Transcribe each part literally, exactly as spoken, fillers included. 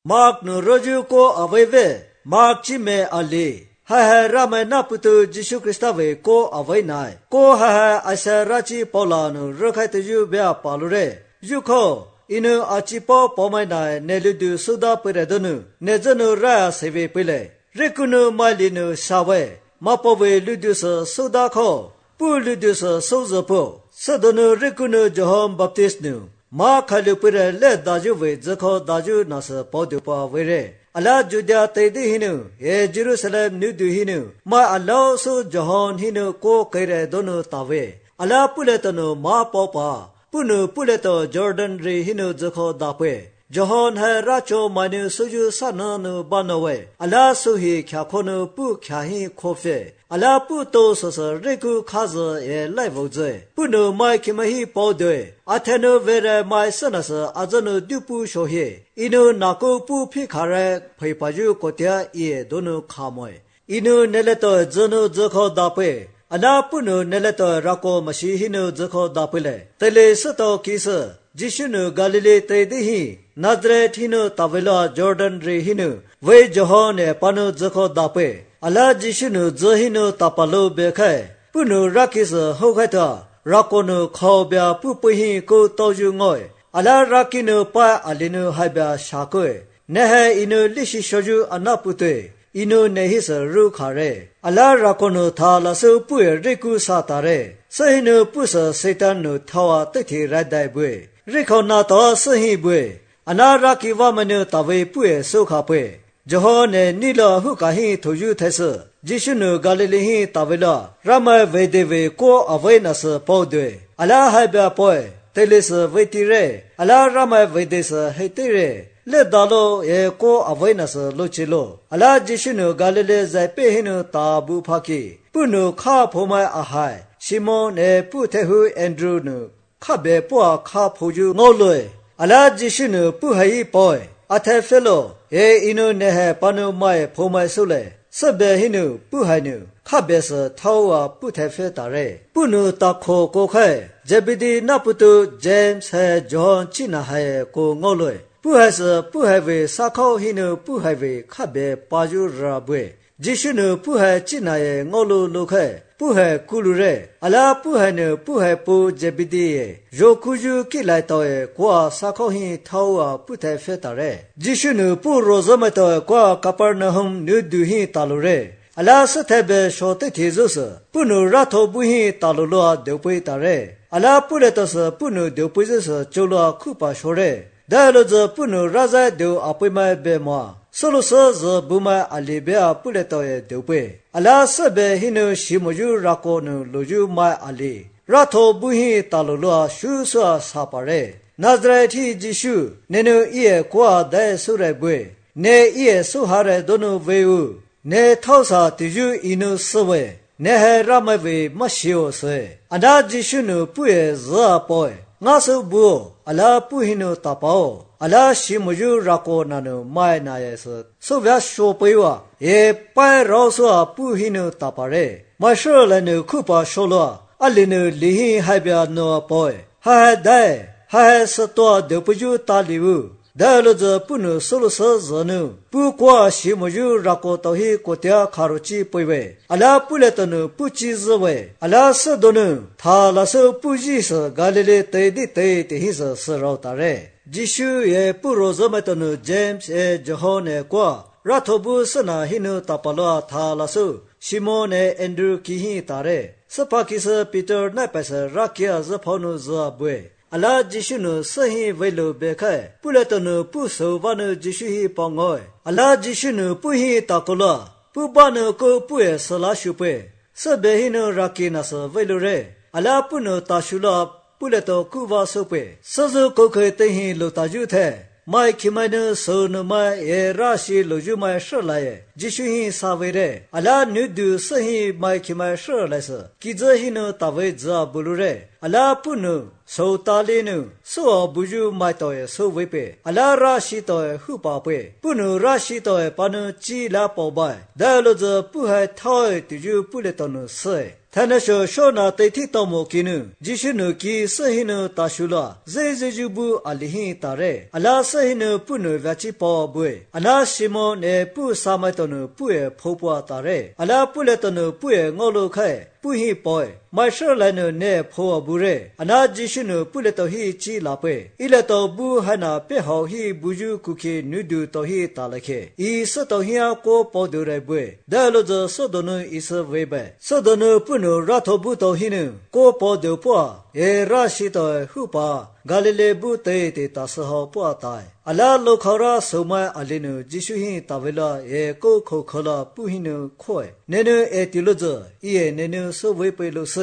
Mark no roju ko aveve, Mark chime ali. Ha ha rama na putu Jishu Krista ve ko avai nai. Ko ha ha asa rachi paula no rokai te yu bea palure. Yu ko inu achi po pomai nai ne ludu suda pere donu. Ne zonu raya seve pile. Rekunu mali no sawe. Mapo ve ludu sa suda ko. Pu ludu sa soza po. Sadonu rekunu John Baptist nu. Ma khalu pere le daju ve zako daju nasa podu pa vere. Allah Judea Tedi hinu, e Jerusalem nudu hinu, ma Allah so John hinu ko kaire dono tawe. Allah puletano ma popa, punu puleto Jordan re hinu zako dape. John ha racho manu suju sananu banawe. Allah suhi kyakono pu kyahi kofe. Allah pu to sosa reku kaza e laivoze. Punu mai kimahi podwe. Atheno vere mai sanasa azano dupu shohe. Inu nako pu pikare phaipaju kotia ie dono khamoy. Inu neleto zono zako dape. Allah punu neleto rako mashihinu zako dapele. Tele sato kisa. Jishunu Galilee Tedihi. Nazareth hinu tavela Jordan re hinu ve Johon e panu zako dape ala Jishunu zohinu tapalo bekhe punu rakis hokhata rakono khobya pupuhi ko toju ngoi ala rakinu pa alinu habya shakwe nehe inu lishi shoju anapute inu nehis ru khare ala rakono thala su puye riku satare sahinu pusa setanu thawa tithi radai bwe rikhona to sahi bwe Anaraki vamanu tawe pue sokhape. Johone nila hukahi toju these. Jishunu Galilee tavela. Rama vedeve ko avenas podwe. Allah habya poe. Telis vetire. Allah rama vedes hetire. Le dalo e ko avenas lochilo. Allah Jishunu Galilee zaipe hinu tabu phaki. Punu kha phomai ahai. Simon e putehu Andrew nu. Khabe po kha phoju ngoloi. Allah Jishunu puhai boy, athe fellow, e inu nehe panu mai pomai sule, sabe hinu puhainu, kabes tawa putefe tare, punu takho kokhe, Jebidi naputu James he John china he ko ngoloi, puhas puhave sakho hinu puhave kabe paju rabwe, Jishunu puha china ye ngolu lokhe, puhe kulure, ala puhanu puhe pu Jebidi, Jokuju kilaitoe kwa sakhohi tawa pute fetare. Jishunu pu rozometo kwa Capernaum nuduhi talure. Ala satebe shote tizus, punu rato buhi taluloa deupui tare. Ala puletos punu deupuizus chola kupa shore. Daloz punu raza deu apima bema. Soloso zo buma alibea puletoe deupui. Ala sabe hinu shimuju rakonu loju mai ali. Rato buhi taluloa shuswa sapare. Nazareti Jishu, nenu iye kwa de surebwe. Ne iye suhare donu veu. Ne tausa tiju inu sewe. Ne he ramawe mashio se. Ana Jishunu puye za poe. Ngasu buo, ala puhinu tapao. Ala shimuju rako nanu mai na yesu. So vya shopewa. E pai roswa puhinu tapare. Masho lenu kupa sholoa. Alinu lihi haibya no poe. Ha dae. Ha sato depuju taliwu. Daloza punu solosa zanu. Pu kwa shimuju rako tohi kotia karuchi poiwe. Ala puletanu puchi zwe. Ala sadonu. Thalaso puji sa Galilee tedi te tehisa sarautare. Jishu ye purozometanu James e John e kwa. Ratobu sana hinu tapaloa thalaso. Simon e Andrew kihi tare. Sapakisa Peter napasa rakia zaponu zabwe. Allah Jishunu sahi velo bekhe. Puletanu puso vanu Jishuhi pongoy. Allah Jishunu puhi takola. Pubanu ko puye salashupe. Sabehinu rakinasa velo re. Allah punu tashula puleto kuva sope. Sazu kokhe tehi lotaju the. Mai kimanu sonu mai e rashi loju mai sholaye. Jishuhi savere. Allah nudu sahi mai kimai sholasa. Kizahinu tawe za bulure. Allah punu so talinu so buju mai toye so wepe. Allah rashi toye hupape. Punu rashi toye panu chi la pobai. Daloza puhai toye tuju puletonu se. ท่านเชื่อชนาเตที่ตอมกินุจิชุนุกีเสหินุตาชุลาเจเจจูบูอลิหิตาเรอลาเสหินุปุนุเวจิปอบุยอนาชิโมเนปุสามัยตนุปุเอโพปัวตาเรอลาปุเลตนุปุเองอโลไขปุหิปอยมาเชลนุเนโพบุเรอนาจิชุนุปุเลตหิจีลาเปอิเลตบุหนาเปหอหิบุจูคุเคนุดูตหิตาเลเคอีสตหิอาโกปอดูเรบุยเดลโจสดนุอิสเวเบสดนุปุนุรัทบุตหินุโกปอดูปัวเอราชิตอหุปากาลิเลบุเตเตตาสหปัวตายอลาโลคาราสมัยอลินุจิชุหิตาเวลาเอโกโคคลาปุหินุคอยเนนุเอติโลจอีเอเนนุสเวเปโลเซ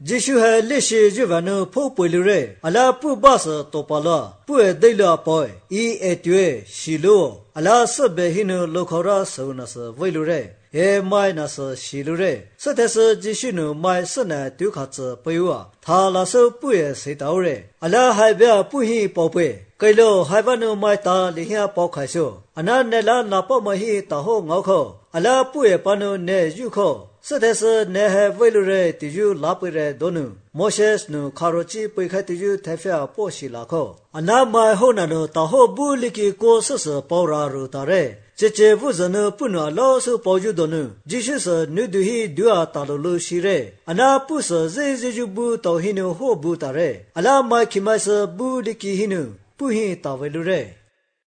จิชุฮลิชิจุวานุพูปลุเรอลาปุบาสโตปาลาปุเอเดลาปอยอีเอตเวชิโลอลาสเบหินุโลคาราสนัสเวลุเรเอไม่นัสชิลุเรสเตสจิชุนุไม่สนาตุขัดเปยวะทาลาสปุเอเสตาวเรอลาไฮเบะปุหิปอเปไกโลไฮบานุไม่ตาลิฮิอาปอไขโซอนาเนลานาปอมหิตาโฮงอขออลาปุเอปานุเนยุขอสเตสเนเฮเวลุเรติยูลาเปเรโดนุโมเชสนุคาโรจิปุยไขติยูเทฟยาปอชิลาขออนาไม่โฮนานุตาโฮบุลิกิโกสสปอรารุตาเรเจเจวุจนุปุนลอสุปอยุดนุจิชุสนุดุฮิดัวตาโลโลชิเรอนาปุสเจเจจุบุตอหินุโฮบุตาเรอลาไม่คิมัสบุลิกิหินุปุหิตาเวลุเร